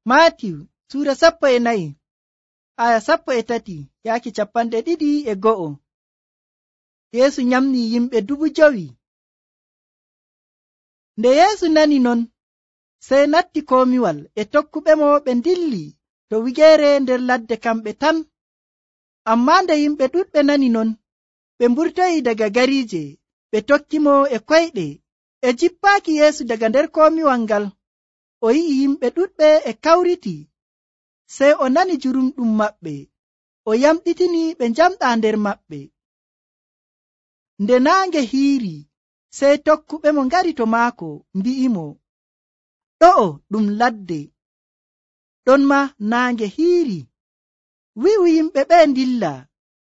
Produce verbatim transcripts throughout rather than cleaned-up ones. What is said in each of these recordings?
Maatiw suura sappo e nayi aya sappo e tati yaaki capanɗe ɗiɗi e go'o. Yeesu nyamni yimɓe dubu jowi. Nde Yeesu nani non, sey natti komiwal e tokkuɓemo ɓe ndilli to wigeere nder ladde kamɓe tan. Ammaa nde yimɓe ɗuɗɓe nani non, ɓe mburtoyi daga gariije ɓe tokkimo e koyɗe. E jippaaki Yeesu daga nder komiwal ngal, o yi'i yimɓe ɗuɗɓe e kawriti, sey o nani jurumɗum maɓɓe, o yamɗitini ɓe njamɗaa nder maɓɓe. Nde naange hiiri, sey tokkuɓemo ngari to maako mbi'imo, ɗo'o ɗum ladde, ɗon maa naange hiiri. Wi'u yimɓe ɓe ndilla,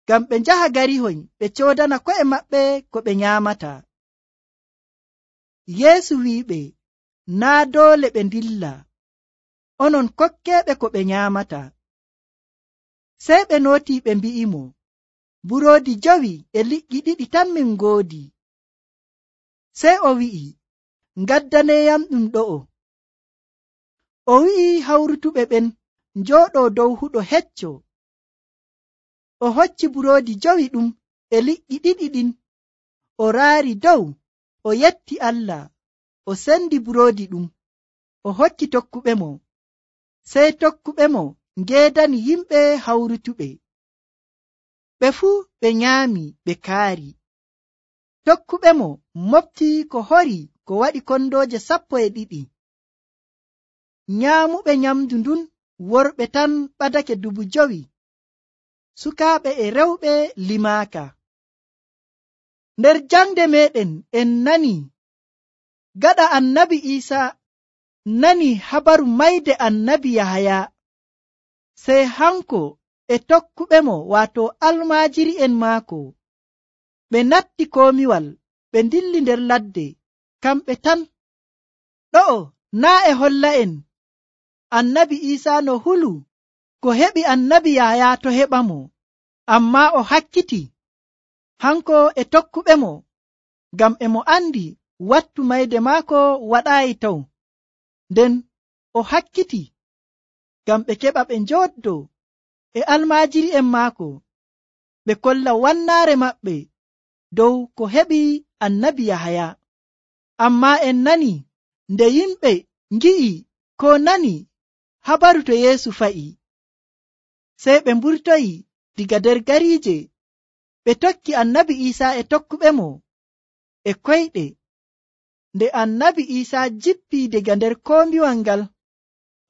ngam ɓe njaha garihoy ɓe coodana ko'e maɓɓe ko ɓe nyaamata. Yeesu wi'iɓe, naa doole ɓe ndilla, onon kokkeeɓe ko ɓe nyaamata. Sey ɓe nootii ɓe mbi'imo, buroodi jowi e liƴƴi ɗiɗi tan min ngoodi. Sey o wi'i, ngaddaneeyam ɗum ɗo'o. O wi'i hawrutuɓe ɓen njooɗoo dow huɗo hecco. O hocci buroodi jowi ɗum e liƴƴi ɗiɗi ɗin, o raari dow, o yetti Allah, o sendi buroodi ɗum, o hokki tokkuɓemo. Sey tokkuɓemo ngeedani yimɓe hawrutuɓe. Ɓe fuu ɓe nyaami ɓe kaari. Tokkuɓemo mofti ko hori ko waɗi kondooje sappo e ɗiɗi. Nyaamuɓe nyamdu ndun worɓe tan ɓadake dubu jowi, sukaaɓe e rewɓe limaaka. Nder jangde meɗen en nani gaɗa annabi Iisaa nani habaru mayde annabi Yahaya, sey hanko e tokkuɓemo waato almaajiri'en maako ɓe natti komiwal ɓe ndilli nder ladde kamɓe tan. Ɗo'o naa e holla en annabi Iisaa no hulu ko heɓi annabi Yahaya to heɓamo, ammaa o hakkiti hanko e tokkuɓemo ngam e mo andi wattu mayde maako waɗaayi taw. Nden o hakkiti ngam ɓe keɓa ɓe njooddoo e almaajiri'en maako ɓe kolla wannaare maɓɓe dow ko heɓi annabi Yahaya. Ammaa en nani nde yimɓe ngi'i ko nani habaru to Yeesu fa'i, sey ɓe mburtoyi diga nder gariije ɓe tokki annabi Iisaa e tokkuɓemo e koyɗe. Nde annabi Iisaa jippii diga nder koombiwal ngal,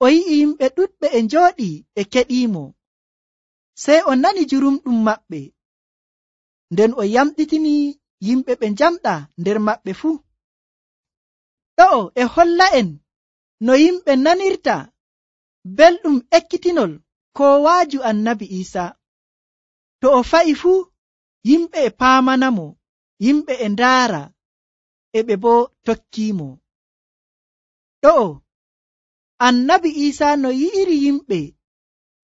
o yi'i yimɓe ɗuɗɓe e njooɗii e keɗiimo, sey o nani jurumɗum maɓɓe, nden o yamɗitini yimɓe ɓe njamɗaa nder maɓɓe fuu. Ɗo'o e holla en no yimɓe nanirta belɗum ekkitinol koowaaju annabi Iisaa. To o fa'i fuu, yimɓe e paamanamo, yimɓe e ndaara, e ɓe boo tokkiimo. Ɗo'o annabi Iisaa no yi'iri yimɓe,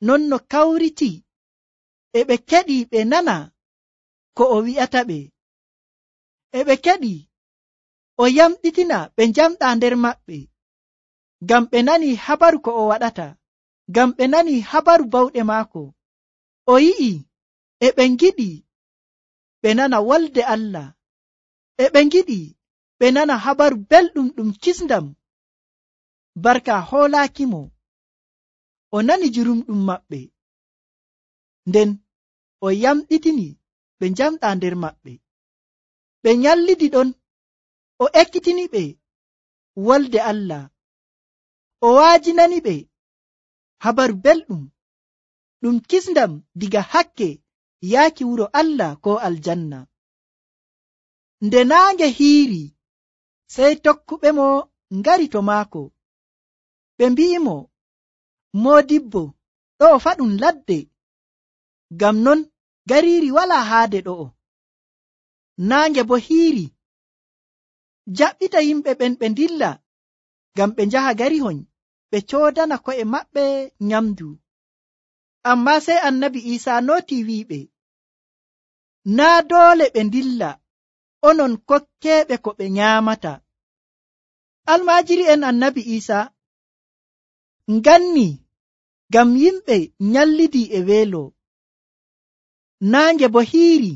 non no kawriti, e ɓe keɗi ɓe nana ko o wi'ata ɓe. E ɓe keɗi o yamɗitina ɓe njamɗaa nder maɓɓe, ngam ɓe nani habaru ko o waɗata, ngam ɓe nani habaru bawɗe maako. O yi'i e ɓe ngiɗi ɓe nana wolde Allah, e ɓe ngiɗi ɓe nana habaru belɗum ɗum kisndam barka hoolaakimo. O nani jurumɗum maɓɓe, nden o yamɗitini ɓe njamɗaa nder maɓɓe. Ɓe nyallidi ɗon, o ekkitini ɓe wolde Allah, o waajinani ɓe habaru belɗum ɗum kisndam diga hakke yaaki wuro Allah ko aljanna. Nde naange hiiri, sey tokkuɓemo ngari to maako, ɓe mbi'imo, Moodibbo, ɗo'o fa ɗum ladde, ngam non gariiri walaa haade ɗo'o. Naange bo hiiri, jaɓɓita yimɓe ɓen ɓe ndilla, ngam ɓe njaha garihoy ɓe coodana ko'e maɓɓe nyamdu. Ammaa sey annabi Iisaa nootii wi'iɓe, naa doole ɓe ndilla, onon kokkeeɓe ko ɓe nyaamata. Almaajiri'en annabi Iisaa nganni ngam yimɓe nyallidi e weelo, naange bo hiiri.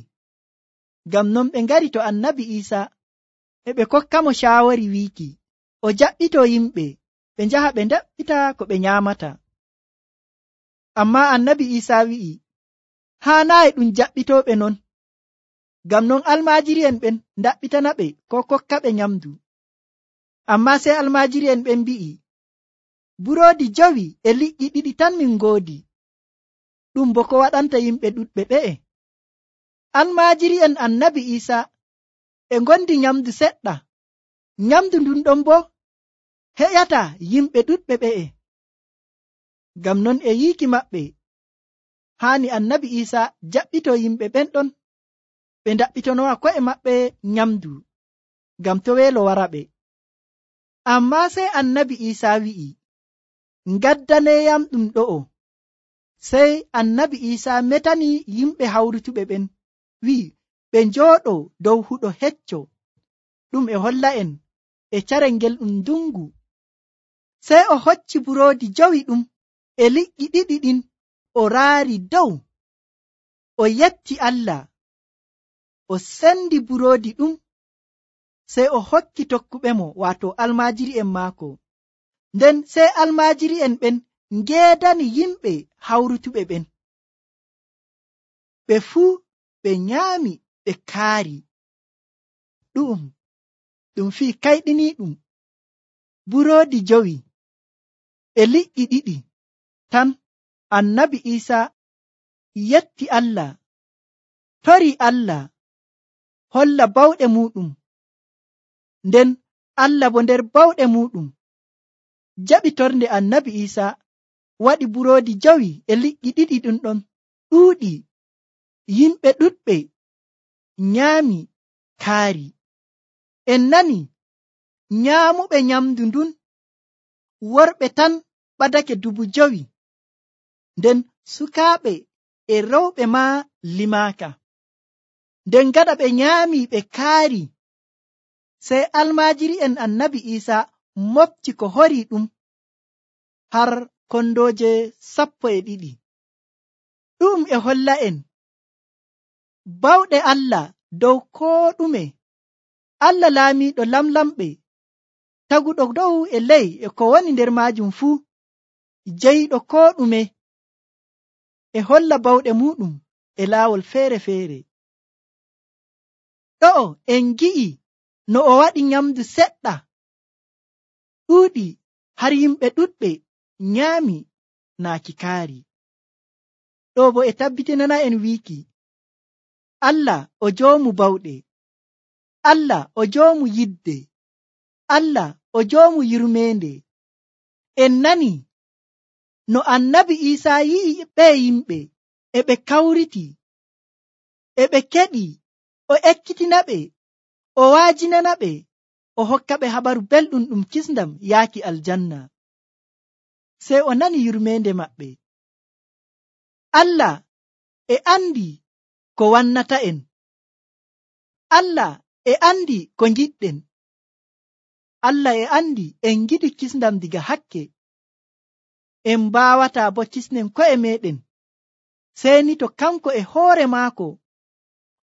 Ngam non ɓe ngari to annabi Iisa e ɓe kokkamo shaawari wiiki o jaɓɓito yimɓe ɓe njaha ɓe ndaɓɓita ko ɓe nyaamata. Amma annabi Iisa wi'i haanaayi ɗum jaɓɓitooɓe non. Ngam non almaajiri'en ɓen ndaɓɓitana ɓe ko kokka ɓe nyamdu. Amma sey almaajiri'en ɓen mbi'i buroodi jowi e liƴƴi ɗiɗi tan min ngoodi, ɗum bo ko waɗanta yimɓe ɗuɗɓe ɓe'e. Almaajiri'en annabi Iisa e ngondi nyamdu seɗɗa, nyamdu ndun ɗon bo heƴata yimɓe ɗuɗɓe ɓe'e. Ngam non e yiiki maɓɓe haani annabi Iisa jaɓɓito yimɓe ɓen ɗon ɓe ndaɓɓitonowa ko'e maɓɓe nyamdu ngam to weelo wara ɓe. Amma sey annabi Iisa wi'i ngaddaneyam ɗum ɗo'o. Sey annabi Iisa metani yimɓe hawrutuɓe ɓen wi'i ɓe njooɗo dow huɗo hecco, ɗum e holla en e carel ngel ɗum ndungu. Sey o hocci buroodi jowi ɗum e liƴƴi ɗiɗi ɗin o raari dow, o yetti Allah, o sendi buroodi ɗum, sey o hokki tokkuɓemo waato almaajiri'en maako. Nden sey almaajiri'en ɓen ngeedani yimɓe hawrutuɓe ɓen. Ɓe fuu ɓe nyaami ɓe kaari. Ɗum ɗum fii kayɗiniiɗum buroodi jowi e liƴƴi ɗiɗi tan annabi Iisa yetti Allah, torii Allah, holla bawɗe muuɗum. Nden Allah bo nder bawɗe muuɗum jaɓi tornde annabi Iisa waɗi buroodi jowi e liƴƴi ɗiɗi ɗum ɗon ɗuuɗi. Yimɓe ɗuɗɓe nyaami kaari. En nani nyaamuɓe nyamdu ndun worɓe tan ɓadake dubu jowi, nden sukaaɓe e rewɓe maa limaaka. Nden gaɗa ɓe nyaami ɓe kaari, sey almaajiri'en annabi Iisa mofti ko horii ɗum har kondooje sappo e ɗiɗi. Ɗum e holla en bawɗe Allah dow koo ɗume. Allah laamiiɗo lamlamɓe, taguɗo dow e ley e ko woni nder maajum fuu, jeyiɗo koo ɗume, e holla bawɗe muuɗum e laawol feere-feere. Ɗo'o en ngi'i no o waɗi nyamdu seɗɗa ɗuuɗi har yimɓe ɗuɗɓe nyaami naaki kaari. Ɗo bo e tabbitinana en wiiki Allah o joomu bawɗe, Allah o joomu yidde, Allah o joomu yurmeende. En nani no annabi Iisa yi'i ɓe yimɓe e ɓe kawriti, e ɓe keɗi, o ekkitina ɓe, o waajinana ɓe, o hokka ɓe habaru belɗum ɗum kisndam yaaki aljanna. Sey o nani yurmeende maɓɓe. Allah e andi ko wannata en. Allah e andi ko ngiɗɗen. Allah e andi en ngiɗi kisndam diga hakke. En mbaawataa bo kisnen ko'e meɗen, sey ni to kanko e hoore maako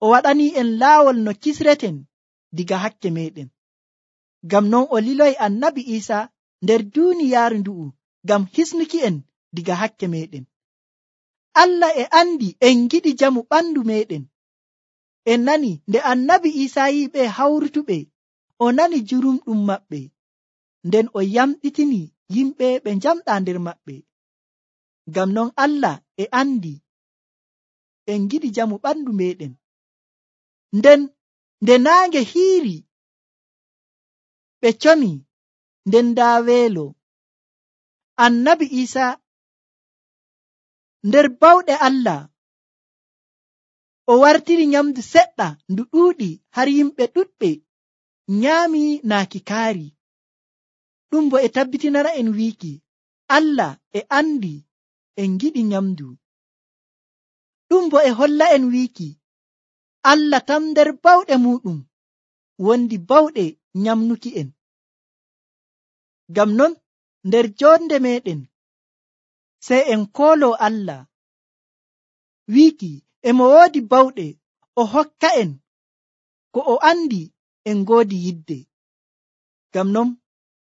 o waɗanii en laawol no kisreten diga hakke meɗen. Ngam non o liloyi annabi Iisa nder duuniyaaru ndu'u ngam hisnuki en diga hakke meɗen. Allah e andi en ngiɗi jamu ɓandu meɗen. En nani nde annabi Iisa yi'i ɓe hawrutuɓe, o nani jurumɗum maɓɓe, nden o yamɗitini yimɓe ɓe njamɗaa nder maɓɓe. Ngam non Allah e andi en ngiɗi jamu ɓandu meɗen. Nden nde naange hiiri ɓe comi, nden daa weelo. Annabi Iisa nder bawɗe Allah o wartiri nyamdu seɗɗa ndu ɗuuɗi har yimɓe ɗuɗɓe nyaami naaki kaari. Ɗum bo e tabbitinana en wiiki Allah e andi en giɗi nyamdu. Ɗum bo e holla en wiiki Allah tan nder bawɗe muɗum wondi bawɗe nyamnuki en. Ngam non nder jonde meɗen sey en kooloo Allah wiiki e mo woodi bawɗe o hokka en ko o andi en ngoodi yidde. Ngam non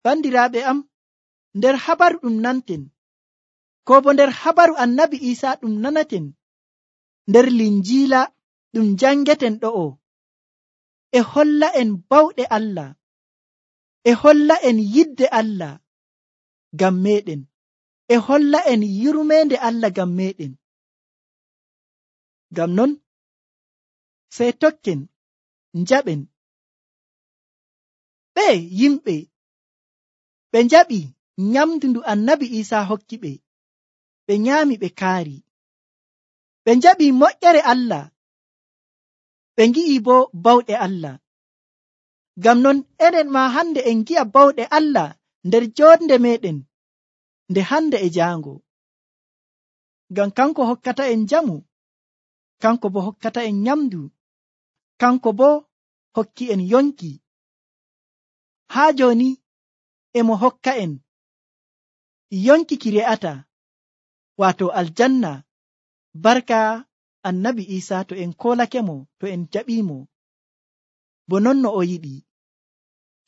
bandiraaɓe am, nder habaru ɗum nanten ko bo nder habaru annabi Iisaa ɗum nanaten nder linjiila ɗum jangeten ɗo'o, e holla en bawɗe Allah, e holla en yidde Allah ngam meeɗen, e holla en yurmeende Allah ngam meeɗen. Ngam non sey tokken njaɓen. Ɓe yimɓe ɓe njaɓi nyamdu ndu annabi Iisaa hokki ɓe, ɓe nyaami ɓe kaari. Ɓe njaɓi moƴƴere Allah, ɓe ngi'i bo bawɗe Allah. Ngam non enen ma hande en ngi'a bawɗe Allah nder jonde meɗen nde hande e jaango. Ngam kanko hokkata en jamu, kanko bo hokkata en nyamdu, kanko bo hokki en yonki. Haa joni emo hokka en yonki ki re'ata, wato aljanna, barka annabi Iisaa to en kolakemo, to en jaɓimo bo non no o yiɗi.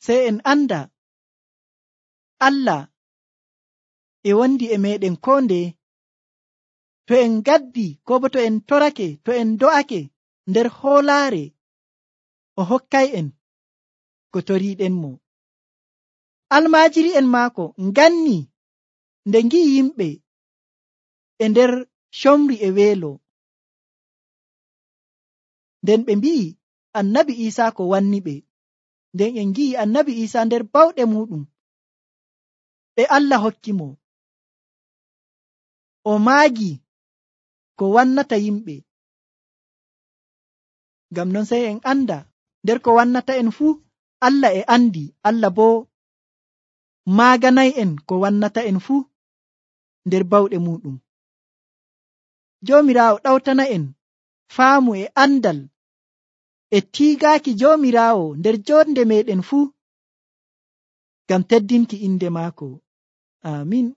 Sey en anda Allah e wondi e meɗen ko nde, to en gaddi ko bo to en torake, to en do'ake nder hoolaare, o hokkay en ko toriiɗenmo. Almaajiri en maako nganni nde ngi'i yimɓe e nder comri e weelo, nden ɓe mbi'i annabi Iisaa ko wanni ɓe, nden en ngi'i annabi Iisaa nder bawɗe muɗum ɗe Allah hokki mo, o maagi ko wannata yimɓe. Ngam non sey en anda nder ko wannata en fuu Allah e andi, Allah bo maaganay en ko wannata en fuu nder bawɗe muɗum. Joomiraawo ɗawtana en faamu e andal e tiigaaki Joomiraawo nder jonde meɗen fuu, ngam teddinki inde maako. Amin.